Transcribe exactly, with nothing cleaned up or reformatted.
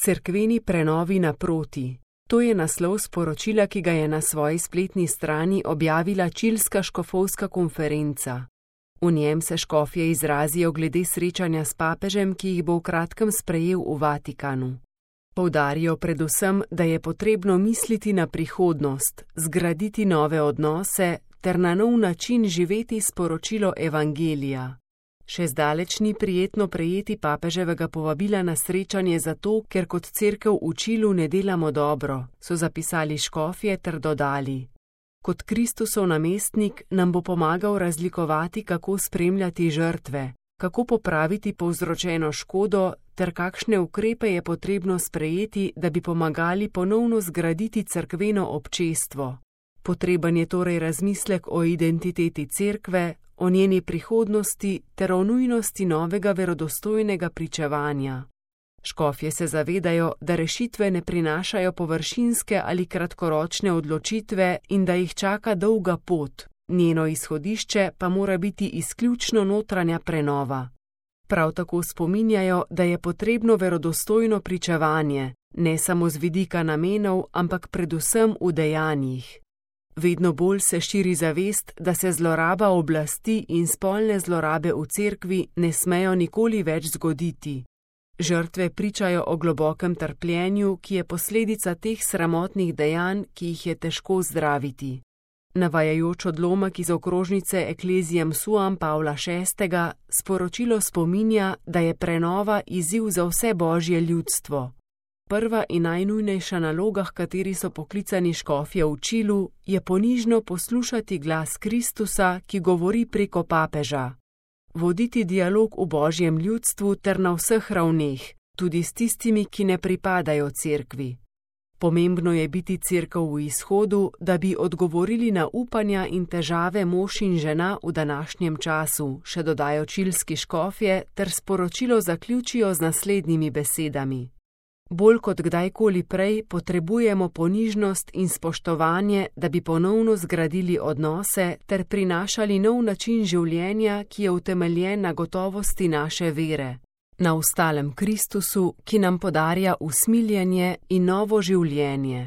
Cerkveni prenovi naproti. To je naslov sporočila, ki ga je na svoji spletni strani objavila Čilska škofovska konferenca. V njem se škofje izrazijo glede srečanja s papežem, ki jih bo v kratkem sprejel v Vatikanu. Poudarijo predvsem, da je potrebno misliti na prihodnost, zgraditi nove odnose ter na nov način živeti sporočilo evangelija. Še zdaleč ni prijetno prejeti papeževega povabila na srečanje zato, ker kot cerkev v Čilu ne delamo dobro, so zapisali škofje ter dodali. Kot Kristusov namestnik nam bo pomagal razlikovati, kako spremljati žrtve, kako popraviti povzročeno škodo ter kakšne ukrepe je potrebno sprejeti, da bi pomagali ponovno zgraditi cerkveno občestvo. Potreben je torej razmislek o identiteti cerkve, o njeni prihodnosti ter o nujnosti novega verodostojnega pričevanja. Škofje se zavedajo, da rešitve ne prinašajo površinske ali kratkoročne odločitve in da jih čaka dolga pot, njeno izhodišče pa mora biti izključno notranja prenova. Prav tako spominjajo, da je potrebno verodostojno pričevanje, ne samo z vidika namenov, ampak predvsem v dejanjih. Vedno bolj se širi zavest, da se zloraba oblasti in spolne zlorabe v cerkvi ne smejo nikoli več zgoditi. Žrtve pričajo o globokem trpljenju, ki je posledica teh sramotnih dejanj, ki jih je težko zdraviti. Navajajoč odlomek iz okrožnice Ecclesiam Suam Pavla šestega, sporočilo spominja, da je prenova izziv za vse božje ljudstvo. Prva in najnujnejša naloga, h kateri so poklicani škofje v Čilu, je ponižno poslušati glas Kristusa, ki govori preko papeža. Voditi dialog v božjem ljudstvu ter na vseh ravneh, tudi s tistimi, ki ne pripadajo cerkvi. Pomembno je biti cerkev v izhodu, da bi odgovorili na upanja in težave mož in žena v današnjem času, še dodajo čilski škofje ter sporočilo zaključijo z naslednjimi besedami. Bolj kot kdajkoli prej potrebujemo ponižnost in spoštovanje, da bi ponovno zgradili odnose ter prinašali nov način življenja, ki je utemeljen na gotovosti naše vere, na ustalem Kristusu, ki nam podarja usmiljenje in novo življenje.